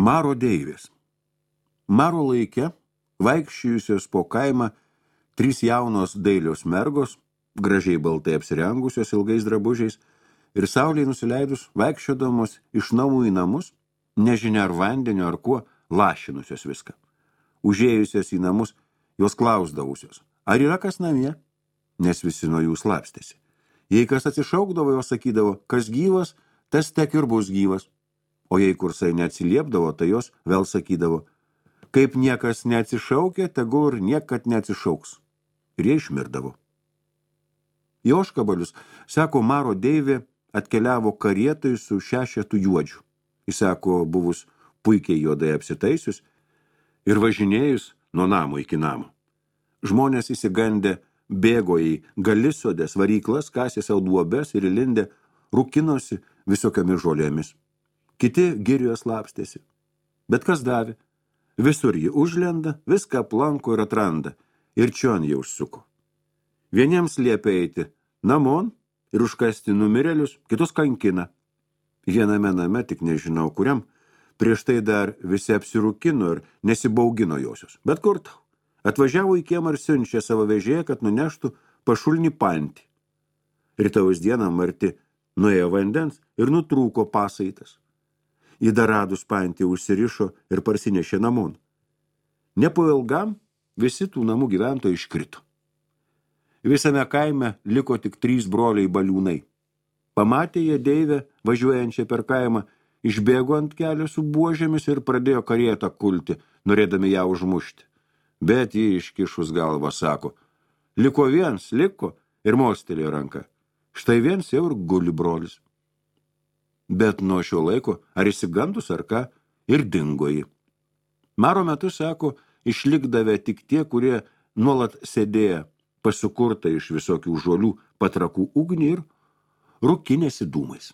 Maro deivės. Maro laike, vaikščiusios po kaimą, 3 jaunos dailios mergos, gražiai baltai apsirengusios ilgais drabužiais, ir saulei nusileidus vaikščiodamos iš namų į namus, nežinia ar vandenio ar kuo, lašinusios viską. Užėjusios į namus, jos klausdavusios, ar yra kas namie, nes visi nuo jų slapstėsi. Jei kas atsišaukdavo, jos sakydavo, kas gyvas, tas tek ir bus gyvas. O jei kursai neatsiliepdavo, tai jos vėl sakydavo, kaip niekas neatsišaukė, tegul ir niekad neatsišauks. Ir jie išmirdavo. Į Ožkabalius, sako, Maro deivė atkeliavo karietai su 6 juodžių. Jis sako, buvus puikiai juodai apsitaisius ir važinėjus nuo namo iki namo. Žmonės įsigandę bėgo į galisodės varyklas, kasė savo duobes ir įlindę rūkinosi visokiamis žolėmis. Kiti girioje slapstėsi. Bet kas davė? Visur ji užlenda, viską aplanko ir atranda, ir čion jie užsuko. Vieniems liepia eiti namon ir užkasti numirėlius, kitus kankina. Viename name, tik nežinau kuriam, prieš tai dar visi apsirūkino ir nesibaugino josios. Bet kur tau? Atvažiavo į kiemą ir siunčia savo vežėją, kad nuneštų pašulnį pantį. Rytaus dieną Marti nuėjo vandens ir nutrūko pasaitas. Į dar radus pantį užsirišo ir parsinešė namon. Ne po ilgam visi tų namų gyventojai iškrito. Visame kaime liko tik 3 broliai baliūnai. Pamatė jie deivę, važiuojančią per kaimą, išbėgo ant kelio su buožėmis ir pradėjo karietą kulti, norėdami ją užmušti. Bet jį iškišus galvą sako, liko viens, liko, ir mostelėjo ranką. Štai viens jau ir guli brolis. Bet nuo šio laiko, ar išsigandus ar ką, ir dingo jį. Maro metu, sako, išlikdavę tik tie, kurie nuolat sėdėjo pasukurta iš visokių žolių patrakų ugnį ir rūkinėsi dūmais.